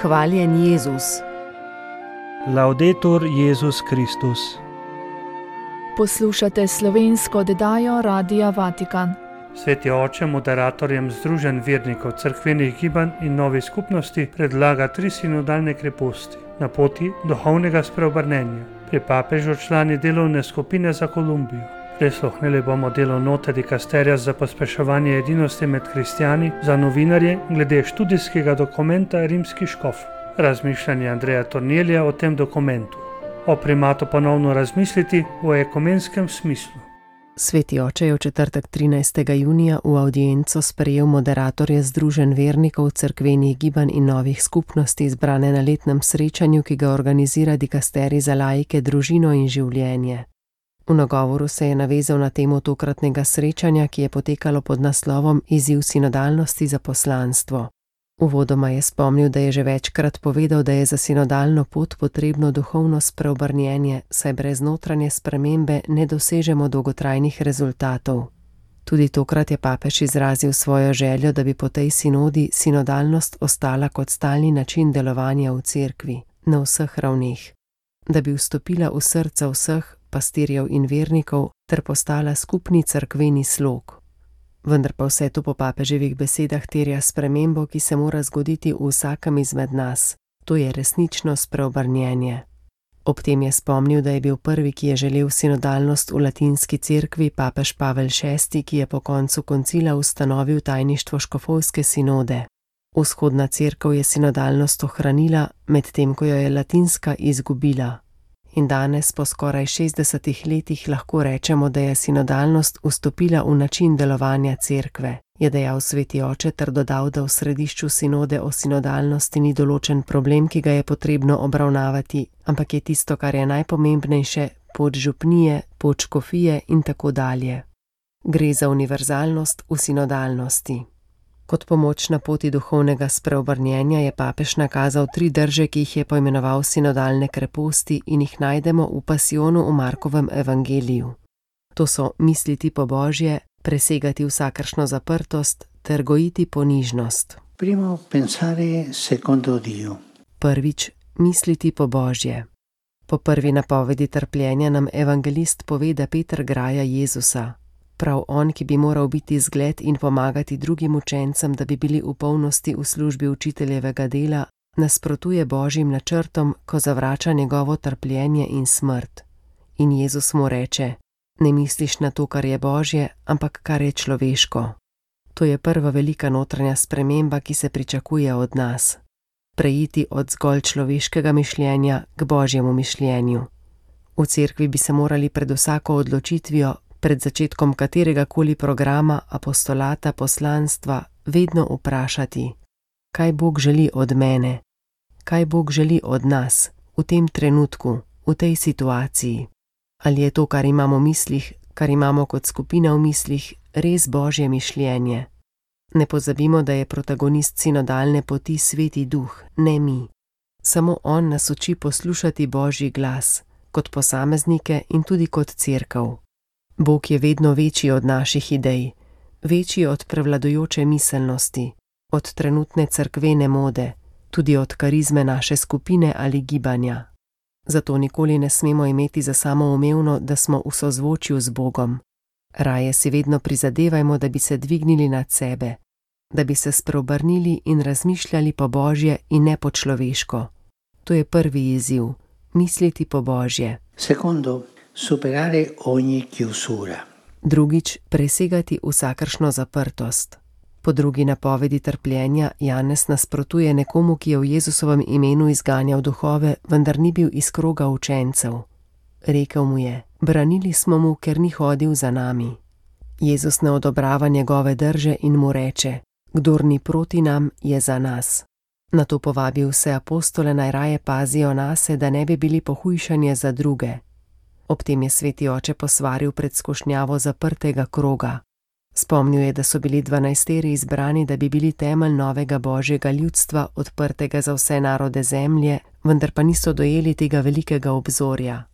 Hvaljen Jezus. Laudetur Jezus Kristus. Poslušate slovensko oddajo Radia Vatikan. Sveti oče moderatorjem Združenj vernikov, cerkvenih gibanj in novih skupnosti predlaga 3 sinodalne kreposti na poti duhovnega spreobrnenja. Pri papežu člani delovne skupine za Kolumbijo. Prisluhnili bomo delu note dikasterija za pospeševanje edinosti med kristjani za novinarje glede študijskega dokumenta Rimskih škofov. Razmišljanje Andreja Tornelija o tem dokumentu. O primatu ponovno razmisliti v ekumenskem smislu. Sveti oče je v četrtek 13. junija v avdienco sprejel moderatorje Združenj vernikov, cerkvenih gibanj in novih skupnosti izbrane na letnem srečanju, ki ga organizira dikasterij za laike, družino in življenje. V nagovoru se je navezal na temo tokratnega srečanja, ki je potekalo pod naslovom Izziv sinodalnosti za poslanstvo. Uvodoma je spomnil, da je že večkrat povedal, da je za sinodalno pot potrebno duhovno spreobrnjenje, saj brez notranje spremembe ne dosežemo dolgotrajnih rezultatov. Tudi tokrat je papež izrazil svojo željo, da bi po tej sinodi sinodalnost ostala kot stalni način delovanja v cerkvi, na vseh ravneh. Da bi vstopila v srca vseh pastirjev in vernikov ter postala skupni cerkveni slog. Vendar pa vse to po papeževih besedah terja spremembo, ki se mora zgoditi v vsakem izmed nas. To je resnično spreobrnjenje. Ob tem je spomnil, da je bil prvi, ki je želel sinodalnost v latinski cerkvi, papež Pavel VI, ki je po koncu koncila ustanovil tajništvo škofovske sinode. Vzhodna cerkev je sinodalnost ohranila, medtem ko jo je latinska izgubila. In danes, po skoraj 60 letih, lahko rečemo, da je sinodalnost vstopila v način delovanja cerkve, je dejal sveti oče ter dodal, da v središču sinode o sinodalnosti ni določen problem, ki ga je potrebno obravnavati, ampak je tisto, kar je najpomembnejše, pot župnije, pot škofije in tako dalje. Gre za univerzalnost v sinodalnosti. Kot pomoč na poti duhovnega spreobrnjenja je papež nakazal 3 drže, ki jih je poimenoval sinodalne kreposti in jih najdemo v pasijonu v Markovem evangeliju. To so misliti po Božje, presegati vsakršno zaprtost ter gojiti ponižnost. Primo pensare secondo Dio. Prvič, misliti po Božje. Po prvi napovedi trpljenja nam evangelist pove, da Peter graja Jezusa. Prav on, ki bi moral biti zgled in pomagati drugim učencem, da bi bili v polnosti v službi učiteljevega dela, nasprotuje Božjim načrtom, ko zavrača njegovo trpljenje in smrt. In Jezus mu reče: ne misliš na to, kar je Božje, ampak kar je človeško. To je prva velika notranja sprememba, ki se pričakuje od nas. Preiti od zgolj človeškega mišljenja k Božjemu mišljenju. V cerkvi bi se morali pred vsako odločitvijo, pred začetkom katerega koli programa, apostolata, poslanstva, vedno vprašati, kaj Bog želi od mene, kaj Bog želi od nas, v tem trenutku, v tej situaciji. Ali je to, kar imamo v mislih, kar imamo kot skupina v mislih, res Božje mišljenje? Ne pozabimo, da je protagonist sinodalne poti Sveti Duh, ne mi. Samo on nas uči poslušati Božji glas, kot posameznike in tudi kot cerkev. Bog je vedno večji od naših idej, večji od prevladujoče miselnosti, od trenutne cerkvene mode, tudi od karizme naše skupine ali gibanja. Zato nikoli ne smemo imeti za samoumevno, da smo v sozvočju z Bogom. Raje si vedno prizadevajmo, da bi se dvignili nad sebe, da bi se spreobrnili in razmišljali po Božje in ne po človeško. To je prvi izziv, misliti po Božje. Secondo, superare ogni chiusura. Drugič, presegati vsakršno zaprtost. Po drugi napovedi trpljenja Janez nasprotuje nekomu, ki je v Jezusovem imenu izganjal duhove, vendar ni bil iz kroga učencev. Rekel mu je: branili smo mu, ker ni hodil za nami. Jezus ne odobrava njegove drže in mu reče: kdor ni proti nam, je za nas. Nato povabi vse apostole, naj raje pazijo nase, da ne bi bili pohujšanje za druge. Ob tem je sveti oče posvaril pred skušnjavo zaprtega kroga. Spomnil je, da so bili 12 izbrani, da bi bili temelj novega Božjega ljudstva, odprtega za vse narode zemlje, vendar pa niso dojeli tega velikega obzorja.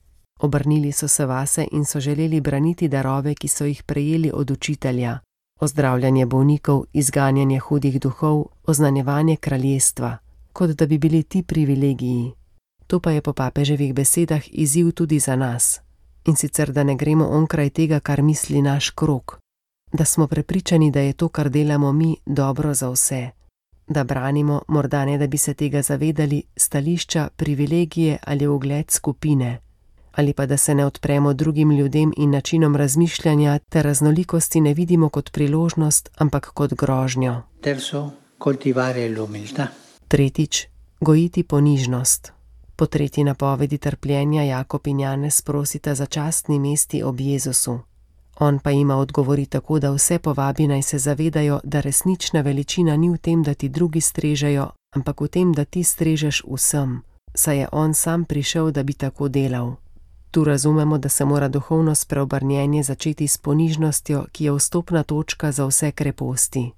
Obrnili so se vase in so želeli braniti darove, ki so jih prejeli od učitelja. Ozdravljanje bolnikov, izganjanje hudih duhov, oznanjevanje kraljestva. kot da bi bili ti privilegiji. To pa je po papeževih besedah izziv tudi za nas. In sicer, da ne gremo onkraj tega, kar misli naš krog. Da smo prepričani, da je to, kar delamo mi, dobro za vse. Da branimo, morda ne da bi se tega zavedali, stališča, privilegije ali ugled skupine. Ali pa da se ne odpremo drugim ljudem in načinom razmišljanja ter raznolikosti ne vidimo kot priložnost, ampak kot grožnjo. Terzo, coltivare l'umiltà. Tretjič, gojiti ponižnost. Po tretji napovedi trpljenja Jakob in Janez prosita za častni mesti ob Jezusu. On pa jima odgovori tako, da vse povabi naj se zavedajo, da resnična veličina ni v tem, da ti drugi strežejo, ampak v tem, da ti strežeš vsem, saj je on sam prišel, da bi tako delal. Tu razumemo, da se mora duhovno spreobrnjenje začeti s ponižnostjo, ki je vstopna točka za vse kreposti.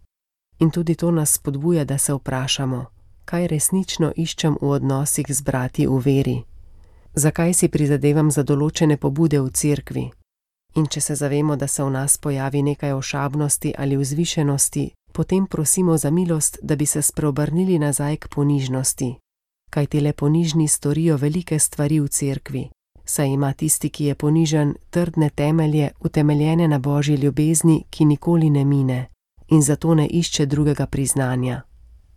In tudi to nas spodbuja, da se vprašamo, kaj resnično iščem v odnosih z brati v veri. Zakaj si prizadevam za določene pobude v cerkvi? In če se zavemo, da se v nas pojavi nekaj ošabnosti ali vzvišenosti, potem prosimo za milost, da bi se spreobrnili nazaj k ponižnosti. Kajti le ponižni storijo velike stvari v cerkvi, saj ima tisti, ki je ponižen, trdne temelje, utemeljene na Božji ljubezni, ki nikoli ne mine, in zato ne išče drugega priznanja.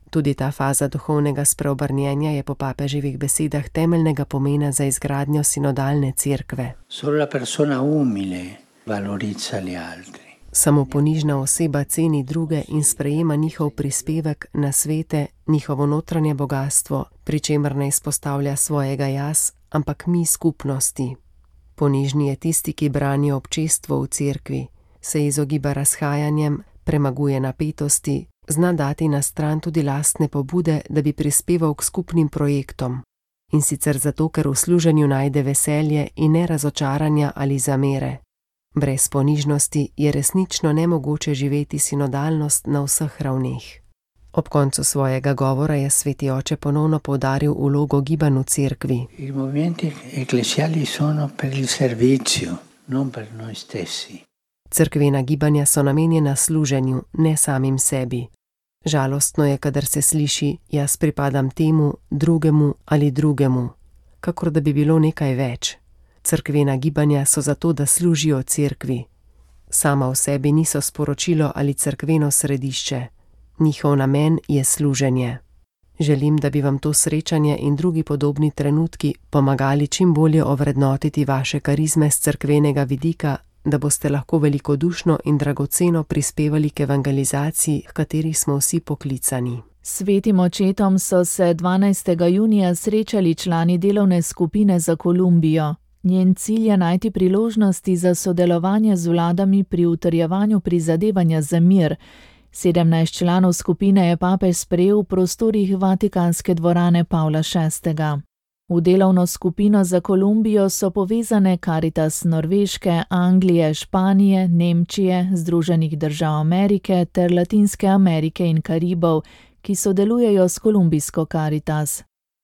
Tudi ta faza duhovnega spreobrnjenja je po papeževih besedah temeljnega pomena za izgradnjo sinodalne cerkve. Solo la persona umile valorizza gli altri. Samo ponižna oseba ceni druge in sprejema njihov prispevek, nasvete, njihovo notranje bogastvo, pri čemer ne izpostavlja svojega jaz, ampak mi skupnosti. Ponižni je tisti, ki brani občestvo v cerkvi, se izogiba razhajanjem, premaguje napetosti, zna dati na stran tudi lastne pobude, da bi prispeval k skupnim projektom. In sicer zato, ker v služenju najde veselje in ne razočaranja ali zamere. Brez ponižnosti je resnično nemogoče živeti sinodalnost na vseh ravneh. Ob koncu svojega govora je sveti oče ponovno poudaril vlogo gibanj v cerkvi. I movimenti ecclesiali sono per il servizio, non per noi stessi. Cerkvena gibanja so namenjena služenju, ne samim sebi. Žalostno je, kadar se sliši, jaz pripadam temu, drugemu ali drugemu, kakor da bi bilo nekaj več. Cerkvena gibanja so zato, da služijo cerkvi. Sama v sebi niso sporočilo ali cerkveno središče. Njihov namen je služenje. Želim, da bi vam to srečanje in drugi podobni trenutki pomagali čim bolje ovrednotiti vaše karizme z cerkvenega vidika, da boste lahko velikodušno in dragoceno prispevali k evangelizaciji, h kateri smo vsi poklicani. Svetim očetom so se 12. junija srečali člani delovne skupine za Kolumbijo. Njen cilj je najti priložnosti za sodelovanje z vladami pri utrjevanju prizadevanja za mir. 17 članov skupine je papež sprejel v prostorih Vatikanske dvorane Pavla VI. V delovno skupino za Kolumbijo so povezane Caritas Norveške, Anglije, Španije, Nemčije, Združenih držav Amerike ter Latinske Amerike in Karibov, ki sodelujejo s kolumbijsko Caritas.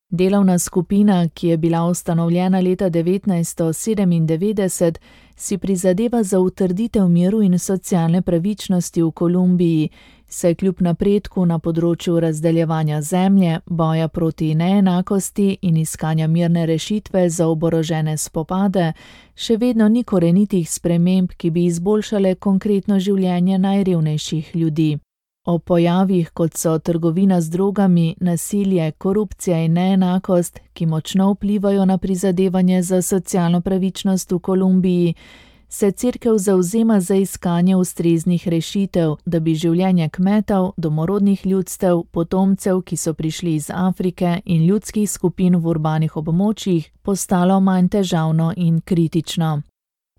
Delovna skupina, ki je bila ustanovljena leta 1997, si prizadeva za utrditev miru in socialne pravičnosti v Kolumbiji, saj kljub napredku na področju razdeljevanja zemlje, boja proti neenakosti in iskanja mirne rešitve za oborožene spopade, še vedno ni korenitih sprememb, ki bi izboljšale konkretno življenje najrevnejših ljudi. O pojavih, kot so trgovina z drogami, nasilje, korupcija in neenakost, ki močno vplivajo na prizadevanje za socialno pravičnost v Kolumbiji, se cerkev zavzema za iskanje ustreznih rešitev, da bi življenje kmetov, domorodnih ljudstev, potomcev, ki so prišli iz Afrike in ljudskih skupin v urbanih območjih, postalo manj težavno in kritično.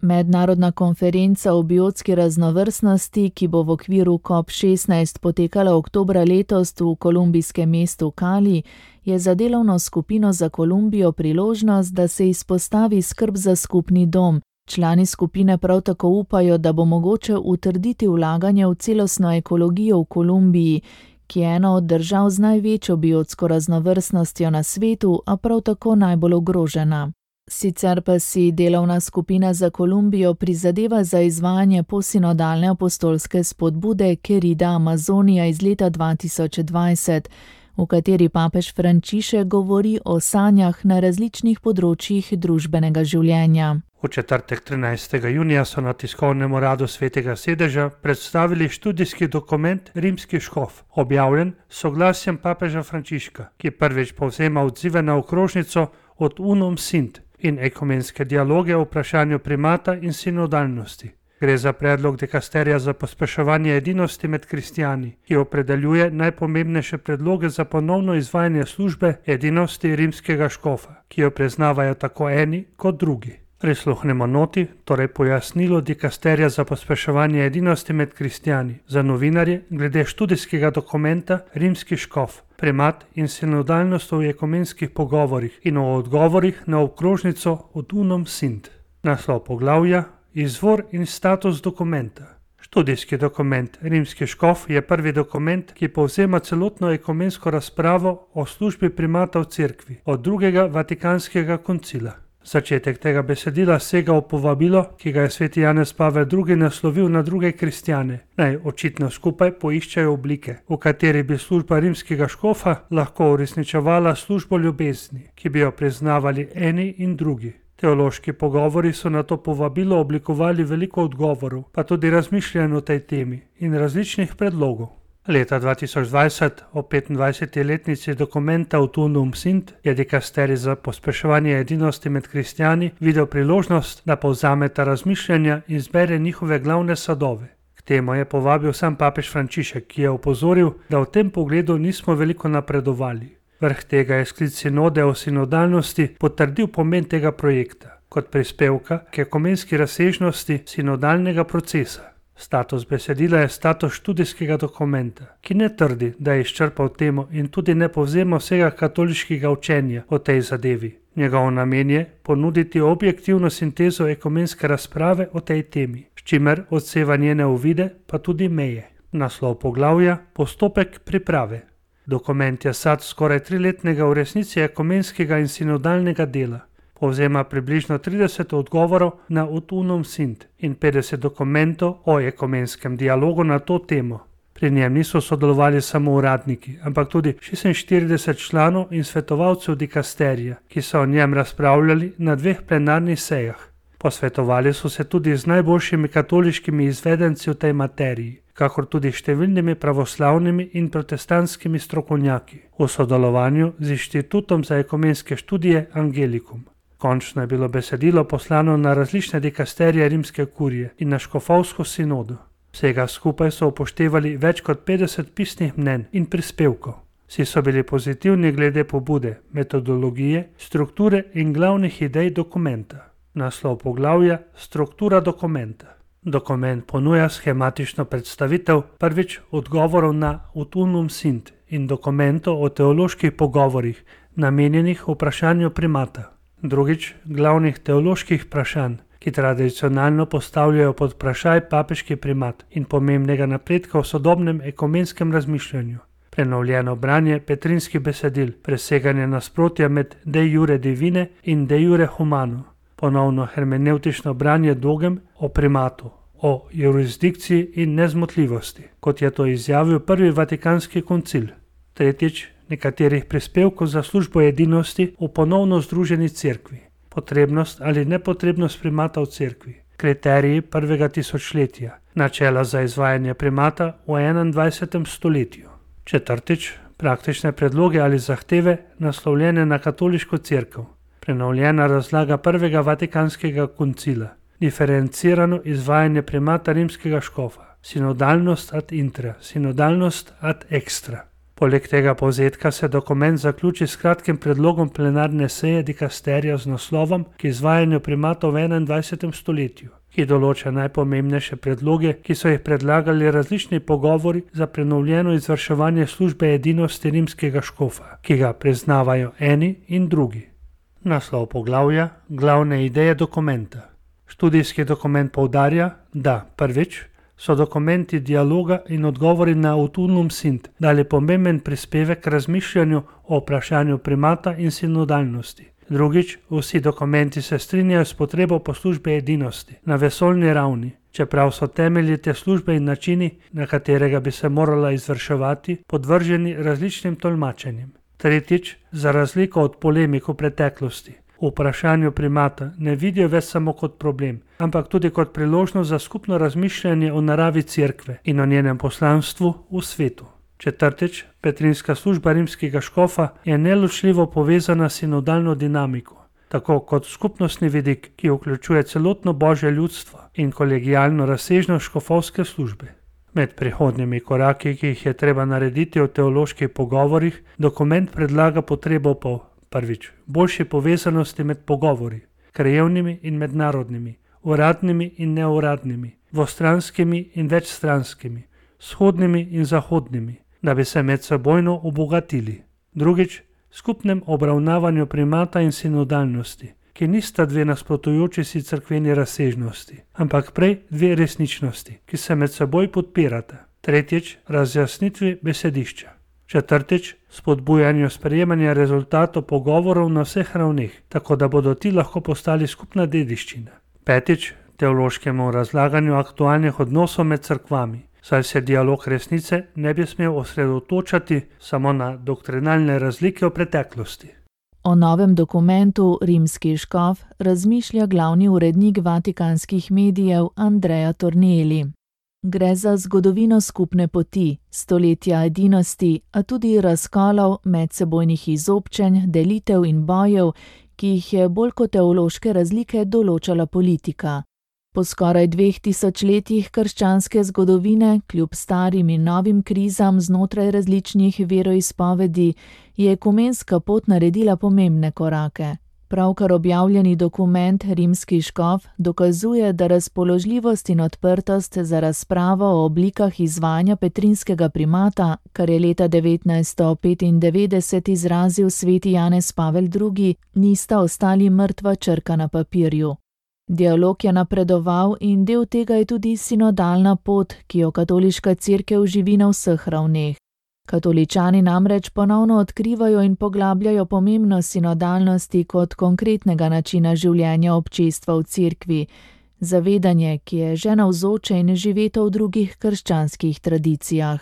Mednarodna konferenca o biotski raznovrstnosti, ki bo v okviru COP16 potekala oktobra letos v kolumbijskem mestu Cali, je za delovno skupino za Kolumbijo priložnost, da se izpostavi skrb za skupni dom. Člani skupine prav tako upajo, da bo mogoče utrditi vlaganje v celostno ekologijo v Kolumbiji, ki je ena od držav z največjo biotsko raznovrstnostjo na svetu, a prav tako najbolj ogrožena. Sicer pa si delovna skupina za Kolumbijo prizadeva za izvajanje posinodalne apostolske spodbude Querida Amazonia iz leta 2020, v kateri papež Frančišek govori o sanjah na različnih področjih družbenega življenja. V četrtek 13. junija so na tiskovnem uradu Svetega sedeža predstavili študijski dokument Rimski škof, objavljen s soglasjem papeža Frančiška, ki prvič povzema odzive na okrožnico Od unum sint in ekumenske dialoge o vprašanju primata in sinodalnosti. Gre za predlog dikasterija za pospeševanje edinosti med kristijani, ki opredeljuje najpomembnejše predloge za ponovno izvajanje službe edinosti rimskega škofa, ki jo priznavajo tako eni kot drugi. Prisluhnemo noti, torej pojasnilo dikasterija za pospeševanje edinosti med kristijani za novinarje glede študijskega dokumenta Rimski škof, primat in sinodalnost v ekumenskih pogovorih in o odgovorih na okrožnico Od unum sint. Naslov poglavja: Izvor in status dokumenta. Študijski dokument Rimski škof je prvi dokument, ki povzema celotno ekumensko razpravo o službi primata v cerkvi od drugega Vatikanskega koncila. Začetek tega besedila sega v povabilo, ki ga je sveti Janez Pavel II. Naslovil na druge kristjane, naj očitno skupaj poiščejo oblike, v kateri bi služba rimskega škofa lahko uresničevala službo ljubezni, ki bi jo priznavali eni in drugi. Teološki pogovori so na to povabilo oblikovali veliko odgovorov, pa tudi razmišljanj o tej temi in različnih predlogov. Leta 2020, ob 25. letnici dokumenta Od unum sint, je dikasterij za pospeševanje edinosti med kristjani videl priložnost, da povzame ta razmišljanja in zbere njihove glavne sadove. K temu je povabil sam papež Frančišek, ki je opozoril, da v tem pogledu nismo veliko napredovali. Vrh tega je sklic sinode o sinodalnosti potrdil pomen tega projekta kot prispevka k ekumenski razsežnosti sinodalnega procesa. Status besedila je status študijskega dokumenta, ki ne trdi, da je izčrpal temo in tudi ne povzema vsega katoliškega učenja o tej zadevi. Njegov namen je ponuditi objektivno sintezo ekumenske razprave o tej temi, s čimer odseva njene uvide pa tudi meje. Naslov poglavja: Postopek priprave. Dokument je sad skoraj 3-letnega v resnici ekumenskega in sinodalnega dela. Povzema približno 30 odgovorov na Od unum sint in 50 dokumentov o ekumenskem dialogu na to temo. Pri njem niso sodelovali samo uradniki, ampak tudi 46 članov in svetovalcev dikasterija, ki so o njem razpravljali na 2 plenarnih sejah. Posvetovali so se tudi z najboljšimi katoliškimi izvedenci v tej materiji, kakor tudi številnimi pravoslavnimi in protestantskimi strokovnjaki, v sodelovanju z Inštitutom za ekumenske študije Angelikum. Končno je bilo besedilo poslano na različne dikasterije rimske kurije in na škofovsko sinodo. Vsega skupaj so upoštevali več kot 50 pisnih mnenj in prispevkov. Vsi so bili pozitivni glede pobude, metodologije, strukture in glavnih idej dokumenta. Naslov poglavja: Struktura dokumenta. Dokument ponuja schematično predstavitev prvič odgovorov na Od unum sint in dokumentov o teoloških pogovorih, namenjenih vprašanju primata. Drugič, glavnih teoloških vprašanj, ki tradicionalno postavljajo pod vprašaj papeški primat in pomembnega napredka v sodobnem ekumenskem razmišljanju. Prenovljeno branje petrinskih besedil, preseganje nasprotja med de jure divine in de jure humano, ponovno hermenevtično branje dogem o primatu, o jurisdikciji in nezmotljivosti, kot je to izjavil prvi Vatikanski koncil. Tretjič, nekaterih prispevkov za službo edinosti v ponovno združeni cerkvi, potrebnost ali nepotrebnost primata v cerkvi, kriteriji prvega tisočletja, načela za izvajanje primata v 21. stoletju. Četrtič, praktične predloge ali zahteve naslovljene na katoliško cerkev, prenovljena razlaga prvega Vatikanskega koncila, diferencirano izvajanje primata rimskega škofa, sinodalnost ad intra, sinodalnost ad extra. Poleg tega povzetka se dokument zaključi s kratkim predlogom plenarne seje dikasterija z naslovom K izvajanju primata v 21. stoletju, ki določa najpomembnejše predloge, ki so jih predlagali različni pogovori za prenovljeno izvrševanje službe edinosti rimskega škofa, ki ga priznavajo eni in drugi. Naslov poglavja: Glavne ideje dokumenta. Študijski dokument poudarja, da prvič so dokumenti dialoga in odgovori na Od unum sint dali pomemben prispevek k razmišljanju o vprašanju primata in sinodalnosti. Drugič, vsi dokumenti se strinjajo s potrebo po službi edinosti na vesoljni ravni, čeprav so temelji te službe in načini, na katerega bi se morala izvrševati, podvrženi različnim tolmačenjem. Tretjič, za razliko od polemik v preteklosti, v vprašanju primata ne vidijo več samo kot problem, ampak tudi kot priložnost za skupno razmišljanje o naravi cerkve in o njenem poslanstvu v svetu. Četrtič, petrinska služba rimskega škofa je neločljivo povezana s sinodalno dinamiko, tako kot skupnostni vidik, ki vključuje celotno božje ljudstvo in kolegijalno razsežnost škofovske službe. Med prihodnjimi koraki, ki jih je treba narediti v teoloških pogovorih, dokument predlaga potrebo po: prvič, boljši povezanosti med pogovori, krajevnimi in mednarodnimi, uradnimi in neuradnimi, dvostranskimi in večstranskimi, vzhodnimi in zahodnimi, da bi se medsebojno obogatili. Drugič, skupnem obravnavanju primata in sinodalnosti, ki nista dve nasprotujoči si cerkveni razsežnosti, ampak prej dve resničnosti, ki se med seboj podpirata. Tretjič, razjasnitvi besedišča. Četrtič, spodbujanju sprejemanja rezultatov pogovorov na vseh ravneh, tako da bodo ti lahko postali skupna dediščina. Petič, teološkemu razlaganju aktualnih odnosov med cerkvami, saj se dialog resnice ne bi smel osredotočati samo na doktrinalne razlike v preteklosti. O novem dokumentu Rimski škof razmišlja glavni urednik vatikanskih medijev Andrea Tornielli. Gre za zgodovino skupne poti, stoletja edinosti, a tudi razkolov, medsebojnih izobčenj, delitev in bojev, ki jih je bolj kot teološke razlike določala politika. Po skoraj 2000 letih krščanske zgodovine, kljub starim in novim krizam znotraj različnih veroizpovedi, je ekumenska pot naredila pomembne korake. Pravkar objavljeni dokument Rimski škof dokazuje, da razpoložljivost in odprtost za razpravo o oblikah izvajanja petrinskega primata, kar je leta 1995 izrazil sveti Janez Pavel II., nista ostali mrtva črka na papirju. Dialog je napredoval in del tega je tudi sinodalna pot, ki jo katoliška cerkev živi na vseh ravneh. Katoličani namreč ponovno odkrivajo in poglabljajo pomembnost sinodalnosti kot konkretnega načina življenja občestva v cerkvi, zavedanje, ki je že navzoče in živeto v drugih krščanskih tradicijah.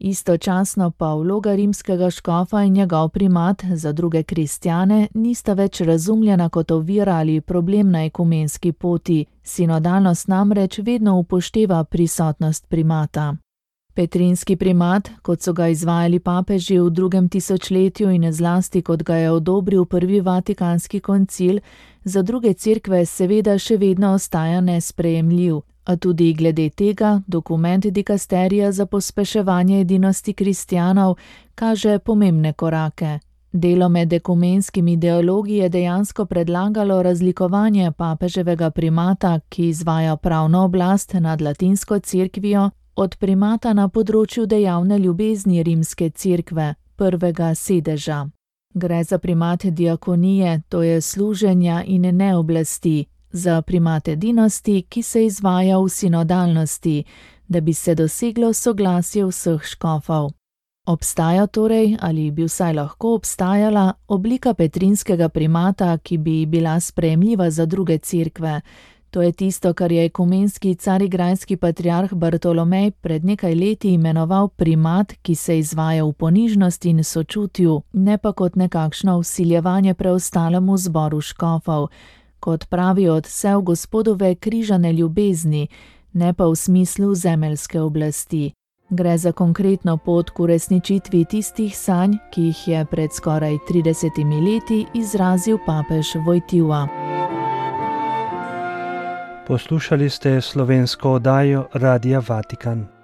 Istočasno pa vloga rimskega škofa in njegov primat za druge kristjane nista več razumljena kot ovira ali problem na ekumenski poti, sinodalnost namreč vedno upošteva prisotnost primata. Petrinski primat, kot so ga izvajali papeži v 2. tisočletju in zlasti kot ga je odobril prvi vatikanski koncil, za druge cerkve seveda še vedno ostaja nesprejemljiv, a tudi glede tega dokument dikasterija za pospeševanje edinosti kristjanov kaže pomembne korake. Delo med ekumenskimi ideologi je dejansko predlagalo razlikovanje papeževega primata, ki izvaja pravno oblast nad latinsko cerkvijo, od primata na področju dejavne ljubezni rimske cerkve, prvega sedeža. Gre za primat diakonije, to je služenja in ne oblasti, za primat edinosti, ki se izvaja v sinodalnosti, da bi se doseglo soglasje vseh škofov. Obstaja torej, ali bi vsaj lahko obstajala, oblika petrinskega primata, ki bi bila sprejemljiva za druge cerkve. To je tisto, kar je ekumenski carigrajski patriarh Bartolomej pred nekaj leti imenoval primat, ki se izvaja v ponižnosti in sočutju, ne pa kot nekakšno vsiljevanje preostalemu zboru škofov, kot pravi odsev Gospodove križane ljubezni, ne pa v smislu zemeljske oblasti. Gre za konkretno pot k uresničitvi tistih sanj, ki jih je pred skoraj 30 leti izrazil papež Wojtyła. Poslušali ste slovensko oddajo Radia Vatikan.